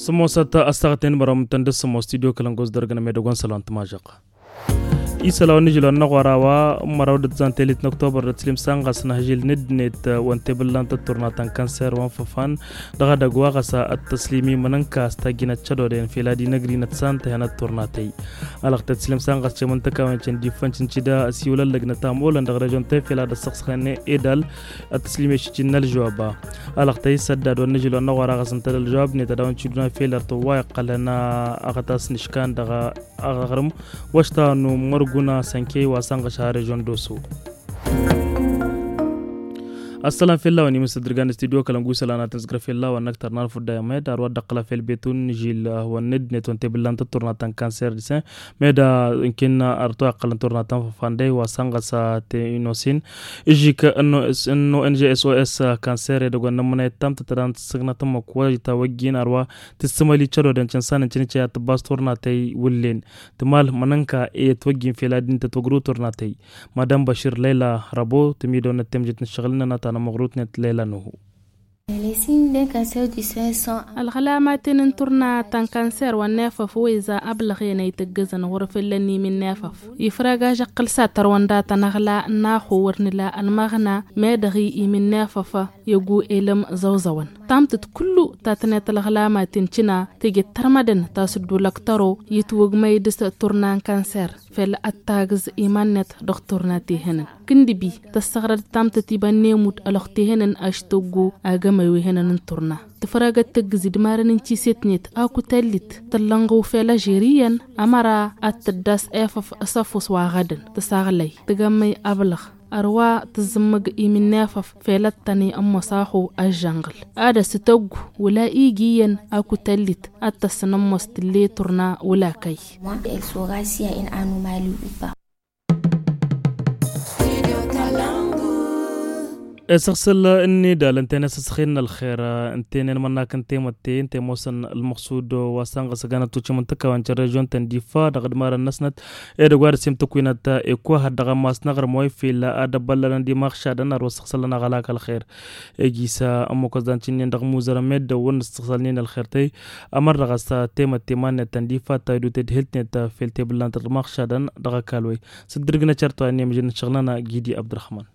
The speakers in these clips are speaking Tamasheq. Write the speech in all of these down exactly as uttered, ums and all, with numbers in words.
Sămoosăt ăssaɣăt n-imărăm tăn-dd-sămoos studio kălăngos dăr-găn medăgon sălon tămažăɣ. Isăla wa n-ižil wa n-aɣora wa n-măraw d-ăttzan telit n-oktobăr d-ătslǝm sanɣas n-ahžil n-dd-net wa n-tebǝllan tătturnat n-kanser wa n-făfan dăɣ-edăgg wa ɣas ad-tăslim imǝnǝnka s-tajjinăt cădoden fel ad-inăgri n-ătsan tăhen ătturnatăy. Alăɣ tăt-slǝm sanɣas cemǝntăkawen căndifăn cǝncida ăsiwǝlăn lăgnăt amolăn dăɣ-režon tăy fel ad-ăssăɣsăɣăn edal ad-tăslim ešǝjjǝn n-ălžăwab. Alăɣ tăy s-ăddad wa n-ižil wa n-aɣora ɣas ǝntăl ălžăwab-net ad-dăɣ-wăn cǝduna fel ar tăwwa iqqălăn a ɣătasnǝškan dăɣ-aɣrǝm wa ăštanu mărguna sănkey wa sănɣăš har režon doso. Ăssălam fell-a-wen imǝssăt dăr-gan studio kălăngu isălan ad-tăn-sǝgrăf fell-a-wen năkk tărna ălfudda i-med ar wa dd-ăqqǝla fel betun n-ižil wa n-dd-net wa n-tebǝllan tătturnat n-kanser disen. Med ǝnken ar toy ăqqălăn turnat n-făfandăy wa sănɣăs a tenosin. Ižžik n-o n g s o s kanser edăgg wa n-nămmănăyăt tamtăt ad-an tǝssǝgnăt ǝmmǝk wa itawăjjin ar wa tǝssǝmăli cădodăn cǝnsanăn cǝnǝcăy ad-tǝbbas turnatăy wǝllen. Tǝmal mănănka i-ătwăjjin fel ad-dd-tătwăgrǝw turnatăy. Madam băšir lăyla răbo tǝmidăwnăt temjet n-ǝššăɣǝl-nănăɣ ta n-ămăɣrut-net lăyla nuhu. Ălɣălamaten n-turna ta n-kanser wa n-efăf wa iza ablăɣen a itǝggǝzăn ɣur-făllăn imin n-efăf. Ifrăg ažăqqǝl s-ad-tărwăn dat-anăɣla n-axu wăr nǝla ălmăɣna. Medăɣ-i imin n-efăf i-ăggu elăm zăwzăwăn tamtăt kullu ta tǝnnet ălɣălamaten cǝna teje d-tărmădăn ta s-dd-ulăktăro itwǝgmăy dăɣ-turna n-kanser. Fel ad-taggǝz iman-net dăɣ-turna tehănăn kǝndǝbi tăssăɣrăd tamtăt iba n-emud ălwăqq tehănăn aštăggu agămăy wi hănăn n-turna. Tǝfrăgăt tăggǝzi d-imarăn n-tiset-net akutăllit tăllănɣăw fel ažeriyyăn ămăra ad-tăddas efăf s-ăfuss wa ɣădăn tăsaɣlăy tăgămmăy ablăɣ ărwa tǝzzǝmmǝg imin n-efăf fel ad-tăn-i ămmoos axu ăžžănɣǝl ad-ăsǝtăggu wăla igi iyyăn akutăllit ad-tăssăn ămmoos tǝlle turna wăla kăy. Esăɣsăl n-idal ǝnta-en asăsxen n-ălxer ǝnta-en mănnak n-temătte ǝnta i-ămoosăn ălmăɣsud wa sănɣăs ăganăt tucǝm n-tăkkawen căr režion-tăn d-ifa dăɣ-dd-imarăn-năsnăt edăgg wa dăɣ-s i-mtăkwinăt ekuhăt dăɣ-ammas n-aɣrǝm wa ifel ad-ăbbăllălăn d-imaɣšadăn ar wăr săɣsălăn aɣălak ălxer. Ejisa ămmukăẓ-dan cǝnnen dăɣ-imuzărăn meddǝn wăr nǝssăɣsălnen ălxer tăy ămăr dăɣ-s temătte iman-net tăn-d-ifa ăttaydu tedhǝlt-net fel tebǝllan tăt-imaɣšadăn dăɣ-ăkall wa-i. S-dd-irǝgnăt cărt wa innă i-mǝžăn n-ašăɣǝl-nănăɣ gidi abdălrăhman.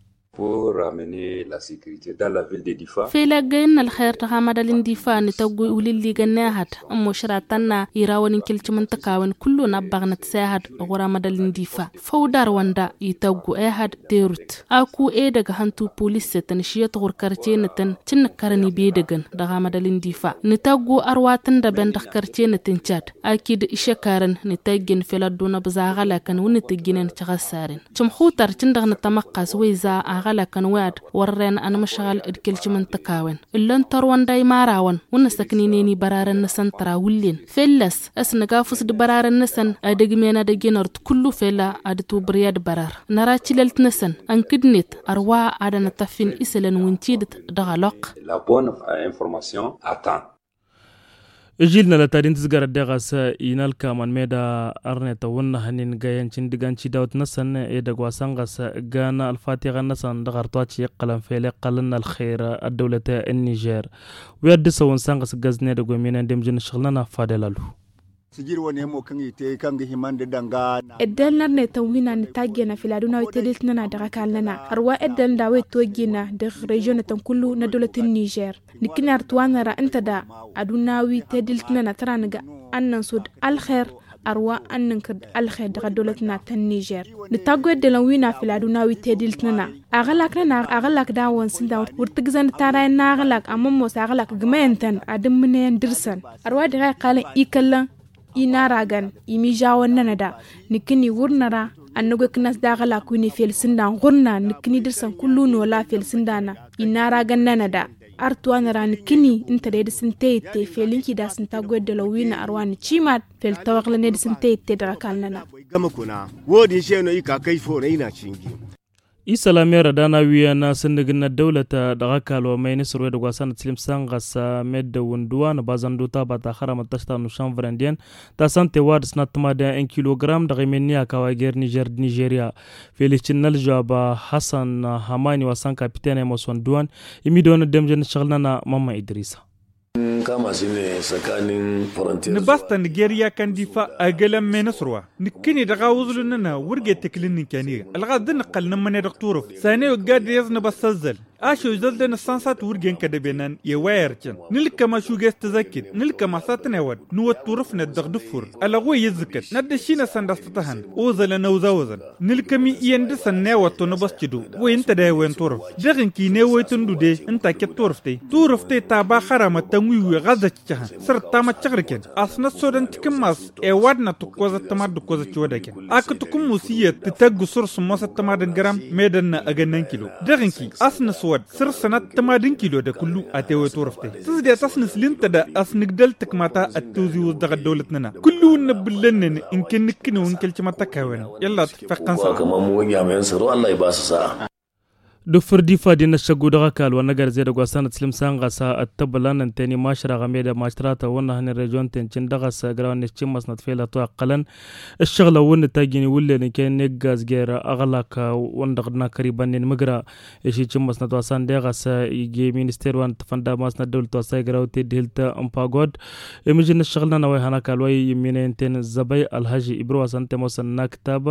Fel ăggăyăn n-ălxer dăɣ-amădal n-difa nǝtăggu iwǝlǝlligăn n-ehăd ămmošra tănna irawăn n-kilcǝm n-tăkawen kullu n-ăbbaɣnăt s-ehăd ɣur-amădal n-difa. Făw d-arwăn da ităggu ehăd terut aku edăgg hăntu pulis-tăn ǝšyăt ɣur-kărce-nătăn cǝnnǝkkărăn ibedăgăn dăɣ-amădal n-difa. Nǝtăggu ărwa tǝndăben dăɣ-kărce-nătăn cad akǝd išăkarăn nǝtăjjăn fel ad-dd-unăbẓa aɣălakăn wǝnnǝtǝjjǝnen căɣăssaren. Cǝmxutăr cǝndăɣ nǝtămăqqas wa iza aɣălakăn wi ad-wărren ănmăšɣăl d-kǝlcǝm n-tăkawen. Ǝllăn tărwăn d-a imarawăn wǝnnăsăkninen ibărarăn-năsăn tăra wǝllen fell-ăs ăsnăgafus d-ibărarăn-năsăn ad-ǝgmen ad-ăjǝnăr d-kullu fel ad-ǝtwǝbrǝy ad-bărar. Năra tilălt-năsăn ănkǝdnet ărwa ad-ănătăffin isălan wi n-tidǝt dăɣ-ălwăqq. La bonne information attend. Ǝžil n-alătad-in tǝzgarăt deɣ a-s inalkamăn meda ărnet ăwwǝnnăhăn ingăyăn cǝndǝgan cidawt-năsăn edăgg wa săn ɣas ǝggan ălfatiɣăn-năsăn dăɣ-artuaci iqqălăn fel iqqălăn n-ălxer ăddăwlăt n-nižer. Wi ad-dd-săwăn săn ɣas ǝggăznen edăgg wa iminen d-emjǝn n-ašăɣǝl-nănăɣ fadel alu. Ǝddăl n-ărnetăn wi n-ad-nǝtajjănăf ila ad-unaw i-tedelt-nănăɣ dăɣ-ăkall-nănăɣ ărwa ăddăl n-daw-e ătwăjjina dăɣ-režion-nătăn kullu n-ăddăwlăt n-nižer. Nǝkkǝni ar t-wa năra ǝnta da ad-unaw i-tedelt-nănăɣ tăra nǝga ad-nănsudd ălxer ărwa ad-nǝnkǝr d-ălxer dăɣ-ăddăwlăt-nănăɣ ta n-nižer. Nǝtaggu i-ăddălăn wi n-afǝl ad-unaw i-tedelt-nănăɣ aɣălak-nănăɣ aɣălak dawăn s-ǝnta wăr tǝggǝzăn d-tara i-ănn aɣălak ămmămmos aɣălak ǝgmăyăn-tăn ad-ǝmmǝnăyăn dăr-săn. Ărwa dăɣ-a iqqalăn ikăllăn inaragăn imižawăn-nănăɣ da nǝkkǝni wăr năra ad-năgg wa ikǝnnas d-aɣălak wi n-efel s-ǝndan ɣur-nănăɣ nǝkkǝni dăr-săn kullu nola fel s-ǝndan inaragăn-nănăɣ da. Ar t-wa năra nǝkkǝni ǝnta d-e dăr-s n-teyǝtte fel ǝnki d-a-s nǝtaggu i-ăddălăn wi n-ărwa nǝcimad fel tawăɣlăn e dăr-s n-teyǝtte dăɣ-ăkall-nănăɣ. Wăr-dd-inšenăw ika kăy-făw n-ăynăɣ cinjim. Isălan merăd a n-awǝyăn asǝnnǝg n-ăddăwlăt dăɣ-ăkall wa măyăn isăr wa edăgg wa s-anăt sǝlim săn ɣas meddǝn wǝndǝwa n-ăbazăn d-utaba ta hărămăt tăšta n-ušănvrăn d-iyyăn ta s-ănta i-wa d-ăsnat tămadăn n-kilogram dăɣ-emenni a kawa jer-nižer d-nižerya. Fel-iščǝn n-ălžăwab hăsăn hămani wa s-an kapiten a imoos wăndǝwan. Imidăwăn ăddemjăn n-ǝššăɣǝl-nănăɣ mămma idrisa. Nǝbas-tăn gerya kan d-ifa ăgg ălămmen s-ărwa nǝkkǝni dăɣ-awǝẓlu-nănăɣ wăr ged tǝkǝl n-inkaniga ălɣaḍ d-nǝqqăl nǝmmăne dăɣ-turǝft sani ogga d-iyyăẓ nǝbăssăzzăl. Ašăw zăldăn ǝssansat wăr gen kădăbenăn i-wa ircăn nǝlkăm ašug i-s tăzăkket nǝlkăm a-s ad-tăn-ewăd nǝwăt turǝfnet dăɣ-dǝffur. Ălăɣwăy i-ǝzzǝkăt n-ad-dd-ăššinăsăn d-a-s tăt-ăhăn oẓălăn ăwzawăzăn nǝlkăm-i iyyăn dăɣ-săn n-ewăt tunǝbăs cǝdu. Wăy ǝnta d-a-iwăyăn turǝft dăɣ-inki n-ewăy tǝndudej ǝnta aked turǝft-tăy turǝft-tăy ta ba hărămăt tănwiwi ɣas d-ăccăhăn săr-ǝttamăt căɣrǝken. Asnăt sodăn tikǝmmas ewădnăt ǝkkoẓăt tămad d-ǝkkoẓăt ciwădăken akǝt ǝkǝmmus iyyăt tǝtăgg săr-sǝmmosăt tămad n-găram. Medănna ăgănna n-kilo dăɣ-inki asnăswăd săr-sănăt tămad n-kilo d-akǝllu. Atewăy turǝft-tăy tǝzdet asnăsli ǝnta da asnǝgdăl tǝkma ta ăttiwziwǝẓ dăɣ-ăddăwlăt-nănăɣ kǝllu n-ăbbǝllănnen. Ǝnken nǝkkǝnew n-kăl-cimăt tăkawen i-ălla tǝffeɣ tăn-săr. D-ufǝr d-ifa d-inăššăggu dăɣ-ăkall wa n-agărzed ăgg wa s-anăt sǝlǝm s-anɣas ăttăbălăn ǝnta i-mašraɣ ămedăm mašratăn wăr nǝhăn i-režion-ten cǝn dăɣ-s ăgraw-net cǝmmăsnăt fel ătwăqqălăn. Ǝššăɣǝlăn wăr nǝtajjǝn iwǝllen ǝnken n-eggaz jer-aɣlak wăndăɣ d-nakăr ibănnen mǝgra. Išicǝmmăsnăt wa s-an deɣ a-s ije minister wa n-tăfănda masnăt dăwlăt wa s-a igraw teddihǝlt n-pagod. Imǝjǝn n-ǝššăɣǝl-nănăɣ wa ihăn ăkall wa iminăyăn-ten zăbăy ălhăžži ibrǝw wa s-ănta i-mosăn n-aktab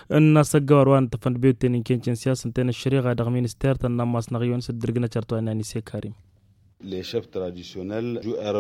n-asăggăwăr wa n-tăfănd biyut-ten inken cǝnsiyas ǝnta i-nǝššăriɣa dăɣ-minister-tăn n-ammas n-aɣyon s-dd-ǝrgǝnăt šărtwa n-anise karim.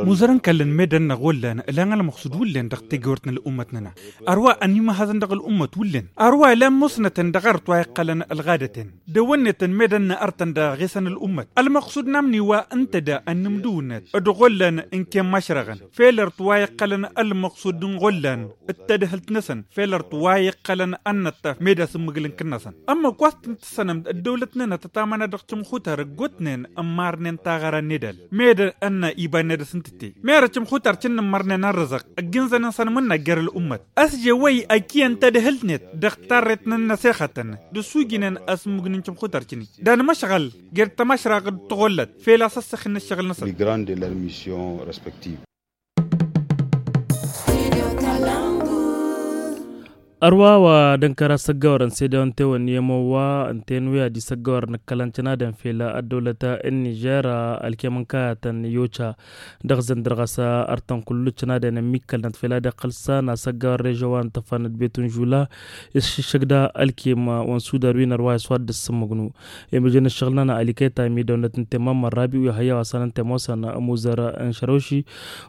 Muzărăn kallăn medăn n-aɣollan ǝlan ălmăqsud wullen dăɣ-tegewărt n-ăl'ummăt-nănăɣ. Ărwa ănimăhăzăn dăɣ-ăl'ummăt wullen ărwa ǝlan musnătăn dăɣ-arăt wa iqqălăn ălɣadăten dăwănnetăn medăn n-artăn dăɣ-aɣesăn ăl'ummăt ălmăqsud n-amni wa ǝnta da ănnǝmdǝwnet d-ɣollan ǝnken mašrăɣăn fel arăt wa iqqălăn ălmăqsud n-ɣollan d-tadhǝlt-năsăn fel arăt wa iqqălăn ănnăṭṭaf meda s-ǝmmǝgǝl n-kǝnnăsăn. Ămmăk wa s-tǝntǝssănăm ăddăwlăt-nănăɣ tătamăna dăɣ-timxutar ăggootnen ămmarnen taɣăra n-edal meda ănna iba n-edăs n-tǝtte mera timxutar cǝnnǝmmărnen ărrăzăɣ ăgg inzăn n-săn mǝnnăk jer-ăl'ummăt. Ăsjewăy ăkiyăn tadhǝlt-net dăɣ-tarret n-ănnăsexătăn d-ăsujǝnen asǝmmǝgǝn n-timxutar cǝni d-anmăšɣăl jer-tămašraɣ d-tɣollăt fel a-s ăssăxin n-ăššăɣǝl-năsăn. Ărwa wa d-ǝnkăr asăggăwărăn s-edăwăn tewănni i-ămowa ǝnta i-ănwi ad-isăggăwărăn ǝkkălăn cănadăn fel ăddăwlăt n-nižer ălkem n-kayătăn i-oca. Dăɣ-zăndăr ɣas artăn kullu cănadăn ămmikkălnăt fel ad-iqqăl s-an asăggăwăr režon wa n-tăfănăt betun žula. Iššǝššǝg da ălkem wa n-sudar wi n-ărwa iswad d-ăssǝmmǝgnu. Imǝjăn ǝššăɣǝl-nănăɣ ălikăy ta imidăwnăt n-temmămmăn rabi u-ihăyya wa s-anăn temosăn ămuzăr n-šărăwši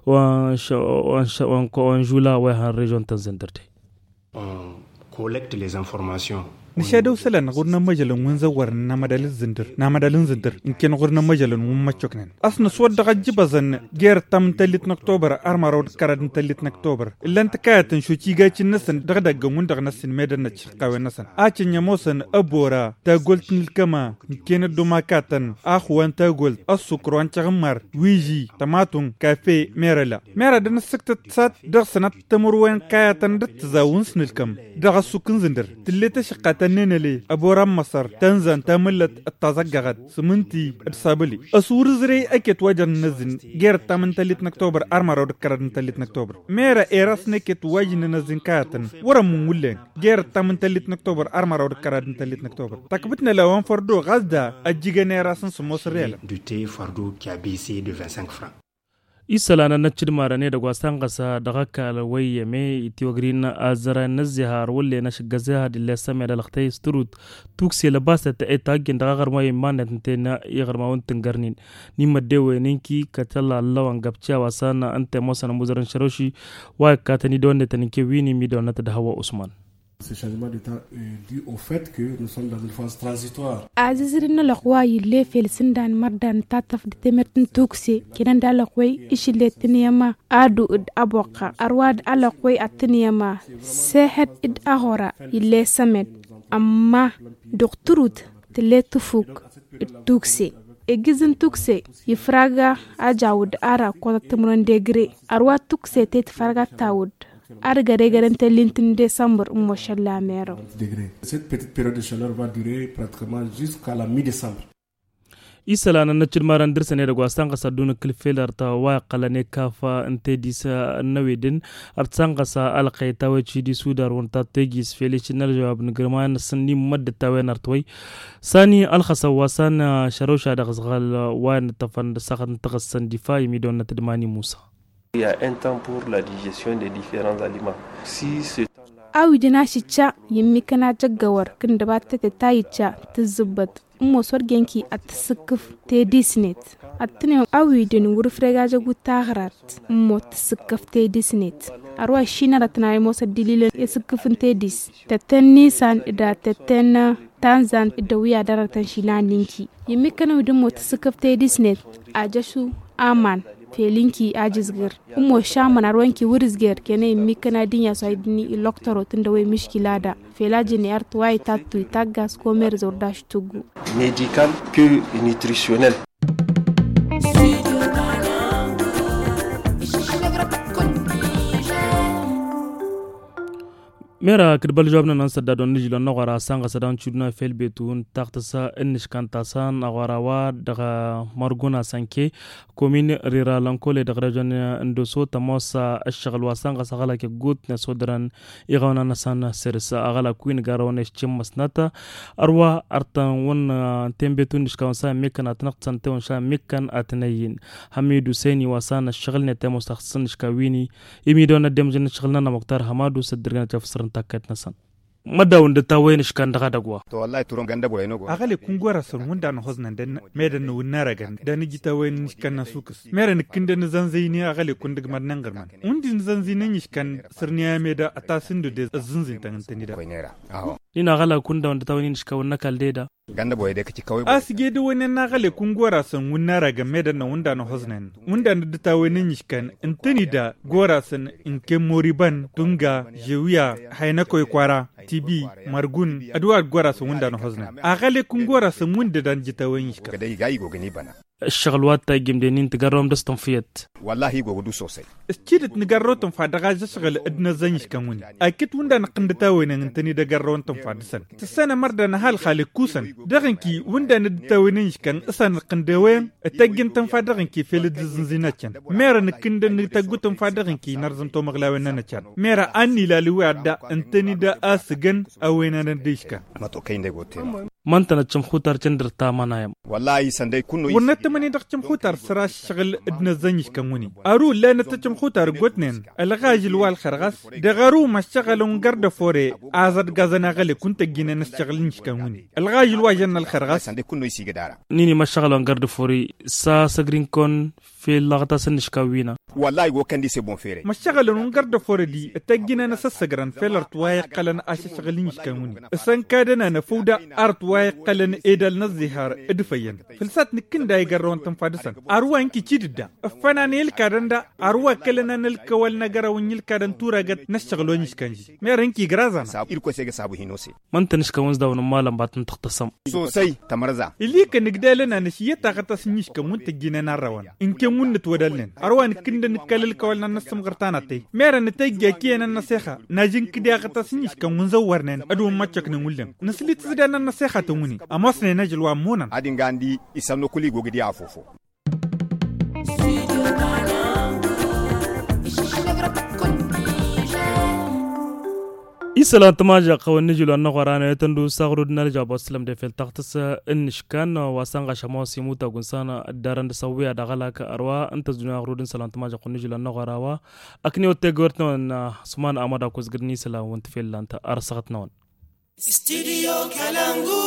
wa n-žula wa ihăn režon tăn-zăndăr de. Nǝšadăw isălan ɣur-nămmăžălăn wi n-zăwwărăn n-amădal n-zǝndǝr n-amădal n-zǝndǝr ǝnken ɣur-nămmăžălăn wi n-măccoknen. Ăsnăswăt dăɣ-ăjjǝbăẓăn jer-ǝttam n-tăllit n-ăktobăr ărmăraw d-kăraḍ n-tăllit n-ăktobăr ǝllan tǝkayăt n-šoci igacin-năsăn dăɣ-idăggăn-win-dăɣ n-ăssin meddǝn n-ăccihăqqawen-năsăn. Acǝnj ămoosăn ăbora tagolt n-ǝlkăma ǝnken ăddumakatăn axǝwa n-tagolt ăssukru wa n-tiɣǝmmar wiži tămatung kafe merăla. Mera dăr-nǝssǝktăt sat dăɣ-sănăt timǝrwen kayătăn d-ǝttǝzaw n-sǝnǝlkăm dăɣ-ăssuk n-zǝndăr tǝllet ašǝqqatăn n-enăle ăbora n-măsăr tănza n-tamǝllăt d-taẓăggăɣăt sǝmǝnti d-sabǝli. Ăswăr ǝzrey ăket wa jărăn n-ăzzin jer-ǝttam n-tăllit n-ăktobăr ărmăraw d-kăraḍ n-tăllit n-ăktobăr mera erasnăket wa jǝnnăn ăzzin kayătăn wăr-ămmun wullen. Jer-ǝttam n-tăllit n-ăktobăr ărmăraw d-kăraḍ n-tăllit n-ăktobăr tăkbǝtnăla wa n-fărdo ɣas da ăjjǝgăn eras n-sǝmmos n-riyălăn. Isălan ad-năccǝdmarăn edăgg wa s-tanɣăs dăɣ-ăkall wa iyyăme itiwăgrin azăra n-ăzzihar wăllen ašǝggăzăha d-ille ăssămedălăɣ tăy s-tărut tukse lăbasăt etaggen dăɣ-aɣărmay iman-net ǝnta-en iɣărmawăn tǝngărnin. N-imăddewen inki kăt-ălla ăllăwăn găbciya wa s-an ǝnta i-ămoosăn ămuzăr n-šărăwši wa ikkatăn idăwănnetăn inke wi n-imidăwănnăt d-hăwwa usman. Azǝzrǝn n-alăɣway ill'-e fel s-ǝndan mărdan tattăf d-temert n-tukse kănăn d-alăɣway išǝllet tǝnǝyăma adu d-aboqqa ărwa d-alăɣway ad-tǝnǝyăma sehăt d-aɣora ill'-e sămed. Ămma dăɣ-tărut tǝllet tǝfuk d-tukse egǝz n-tukse ifrag ajawǝd ara ǝkkoẓăt timǝrwen d-egre. Ărwa tukse te tǝfrag ad-tawǝd Ar găre-găre n-telli n-tǝnn desămbăr n-mošăl la merăw. Cette petite période de chaleur va durer pratiquement jusqu'à la mi-desămbăr. Isălan ănnăcc d-imarăn dăr-săn edăgg wa s-tanɣăs ad-dd-unǝkkǝl fel ărta wa iqqălăn ikafa n-tedis n-ăwedǝn. Ărta s-tanɣăs alăqqăy tawăy cidis udar wăn tattăy gis fel iši n-ălžăwab n-gărma n-asǝnnim măddăt tawăy n-artwăy. Sani ălxăsăn wa s-an šărăwša dăɣ-s ɣăl wa inǝṭṭăfăn d-ăssaɣăt n-taɣǝssăn difa imidăwăn n-atădmani musa. Il y a un temps pour la digestion des différents aliments. Si ce temps-là. Awidăn ašǝcca i-ǝmmikăn ajăggăwăr kǝndăbat tătet ta icca tǝzzǝbbăt. Ǝmmos wăr gen-ki ad-tǝssǝkkǝf tedisnet. Ad-tǝnăyăm awidăn wăr-ǝfreg ajăggut taɣrart. Ǝmmos tǝssǝkkǝf tedisnet. Ărwa išinărăt n-a imoos ăddililăn i-asǝkkǝf n-tedis. Tătten n-isan d-ad-tătten tanzan d-ăwwi ad-ărătăn išilan n-inki. I-ǝmmikăn awidăn ǝmmos tǝssǝkkǝf tedisnet. Ajăšu aman fel inki ajǝzgǝr. Ǝmmos šamăn ărwa inki wăr-ǝzger kena i-ǝmmikăn ad-dd-inyas wa iddǝni ilăktărot n-dăwăy miškila da. Fel ajǝnni ărtway tattǝy taggas komerz wăr daš tuggu. Medical que nutritionnel. Mera kǝdbăl žobnăn n-sădda dăɣ-nǝžilăn n-aɣora sanɣăsăd ančudna fel betu n-taɣtăsa n-nǝškan tasăn aɣora wa dăɣ-mărgun asănke. Komin rira lănkole dăɣ-režon n-doso tămoos ăššăɣǝl wa săn ɣas aɣălak iggutnen s-odărăn iɣawna-năsăn săr-s aɣălak wi n-garrăwăn ešcǝmmăsnăt. Ărwa ărtăn wăn n-tenbetu n-iškawăn s-a ămmikkăn ad-tăn-ăɣtǝsăn tewăn s-a ămmikkăn ad-tăn-ăyyin. Hamidu săyni wa săn ăššăɣǝlnet tămoos taɣtǝsăn iškawini. Imidăwăn ad-dd-emǝžăn ăššăɣǝl-nănăɣ muktar hămadu s-ăddărgăn ad-tafǝsrăn takkayt-năsăn. Măddaw n-dd-tawăyăn iškan dăɣ-adăgg wa. Aɣălek n-gora-săn wǝnda n-ăhoẓnăn d-ănn medăn n-wǝnnarăgăn d-anǝjj tawăyăn n-iškan n-asukǝs merăn ǝkkǝndăn ǝzănzăyni aɣălek n-dăgg-mad n-inɣǝrman. Wǝndi n-ǝzănzăyni n-iškan săr-ni ameda ătasǝndăde ăzzǝnzǝyăn tăn-ǝntănida. Nin-aɣălak wǝnda wǝnda tawăyăn n-iškan wǝnnăkal deda. A-s gede wănen n-aɣălek n-gora-săn wǝnnarăgăn medăn n-wǝnda n-ăhoẓnăn wǝnda n-dd-tawăyăn n-iškan ǝntănida gora-săn n-kemmoribăn tunga žewya haynăkoy kwara tibi mărgun. Ădwa d-gora-săn wǝnda n-ăhoẓnăn aɣălek n-gora-săn wǝnda d-anǝjǝtawăyăn iškan. Ăššăɣǝl wa t-tajjǝmden-in tǝgărrăwăm dăɣ-s tǝnfǝyăt. Wăllahi i-gogăd usosăy. S-tidǝt nǝgărrăw tǝnfa dăɣ-ažăšɣǝl d-năzzăy n-iškan wǝnnin. Akǝt wǝnda nǝqqǝnd tawăynen ǝntănida gărrăwăn tǝnfa dăɣ-săn tǝssanăm ărdăn ăhalxal ǝkkusăn. Dăɣ-inki wǝnda n-dd-tawăynen iškan s-anǝqqǝnd ewăyăn. Ǝtăjjǝn tǝnfa dăɣ-inki fel dd-ǝzzǝnzǝy n-ăccăn. Merăn ǝkkǝndăn tăggu tǝnfa dăɣ-inki nărzǝm tomăɣlawen-năn ăccăn. Merăn a n-ilalǝw i-adda ǝntănida a-s ǝgăn ăwăynanăn d-iškan. Măntănăt cǝmxutar cǝndǝr tamănayăm. Wăr năttămăni dăɣ-cǝmxutar săr-aššăɣǝl d-năzzăy n-iškăn wǝnnin. Ăru ǝllanăt tăcǝmxutar ǝggotnen ălɣajǝl wa ălxărɣas. Dăɣ-ăru măššăɣălăn gărdăfore. Azădgazăn aɣălek wǝnta ăjjǝnen ăššăɣǝl n-iškăn wǝnnin ălɣajǝl wa žănna ălxărɣas. Nini măššăɣălăn gărdăfore. S-asăgrinkon fel lăɣtas n-iškawina. Wăllahi go kăndi se bon fere. Măššăɣălăn wǝn gărdăfore di ǝtăjjǝnen asăssăgrăn fel ărtwa iqqălăn ašăššăɣǝl n-iškăn wǝnnin. S-ănkadăn anăfăwda ărtwa iqqălăn edal n-ăzzihar. D-ifăyyăn făl s-ad-t-nǝkkǝnda igărrăwăn tǝnfa dăɣ-săn. Arwa ǝnki cidǝdda ǝffănan i-ǝlkadăn da. Arwa kălăn anălkăwăl n-agărăw n-iǝlkadăn turăgăt n-ăššăɣǝl wa n-iškăn ži. Merăn ǝnki grazan. Măntăn iškăn wǝnzda wǝnǝmmalăn ba tăn-tăɣtăsăm. Sosai tămărza. Ilikăn ǝgdalăn anăš iyyăt aɣătas n-iškăn wǝnta ăjjǝnen arrăwăn. Ǝnken wǝnnǝt wădălnen ărwa nǝkkǝndăn nǝkka ălkăwăl n-ad-năssǝmɣăr tanăttăy. Merăn nǝtăjja ăkiyăn ad-năsexa. Nažǝnkǝd i-aɣătas n-iškăn wǝnzăwwărnen. Ad-wǝmmăccăknen wǝllen nǝsli tǝzǝdan ad-năsexatăn wǝnnin. Ămoosnen ažǝl wa ămmunăn. Ad-inga andi isănnukul igogǝd i-afofo. Isălan tămažăɣ hawăn-nǝžǝl wa n-aɣora n-ayăt ăndu s-aɣrud n-alžab wa s-tǝlăm defel taɣtǝs n-iškan wa s-anɣaš ămoos imutag wǝnsan dd-arăn d-asăwwǝya d-aɣălak. Ărwa ǝnta ăzdunya aɣrud n-isălan tămažăɣ hawăn-nǝžǝl wa n-aɣora wa. Ăknewăt tegăwert-năwăn s-uman amăd akuzgǝr n-isălan wǝnta fel lant. Ar săɣăt-năwăn. Studio kalangu.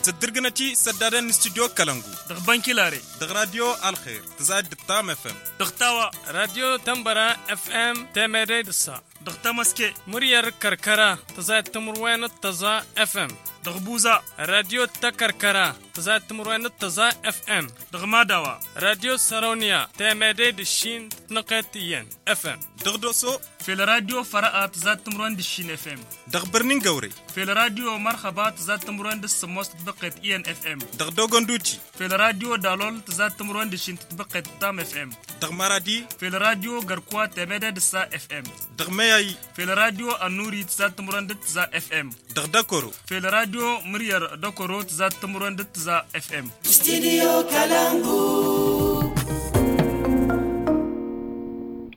Tăddǝrgǝnăt-i săddaden n-studio kalangu. Dăɣ-bănkilare. Dăɣ-radio alxer tǝzayăt d-ǝttam fm. Dăɣ-tawa. Radio tămbăra fm temădăy d-ǝssa. Dăɣ-tamăske. Măryăr kăr-kăra tǝzayăt timǝrwen d-tăẓa fm. Dăɣ-buza. Radio tăkăr-kăra tǝzayăt timǝrwen d-tăẓa fm. Dăɣ-madawa. Radio sărăwniya temădăy d-ǝššin tǝtnăqet iyyăn fm. Dăɣ-doso, fel radio fărăa tǝzad timǝrwen d-ǝššin f m. Dăɣ-bărni n-găwre, fel radio mărxăba tǝzad timǝrwen d-sǝmmos tǝtbăqqet i n f m. Dăɣ-dogonduti, fel radio dalol tǝzad timǝrwen d-ǝššin tǝtbăqqet tam f m. Dăɣ-maradi, fel radio gărkwa temede d-ǝssa f m. Dăɣ-meyayi, fel radio ănnuri tǝzad timǝrwen d-tǝza f m. Dăɣ-dăkoro, fel radio mǝryăr dăkoro tǝzad timǝrwen d-tǝza f m. Studio kalangu.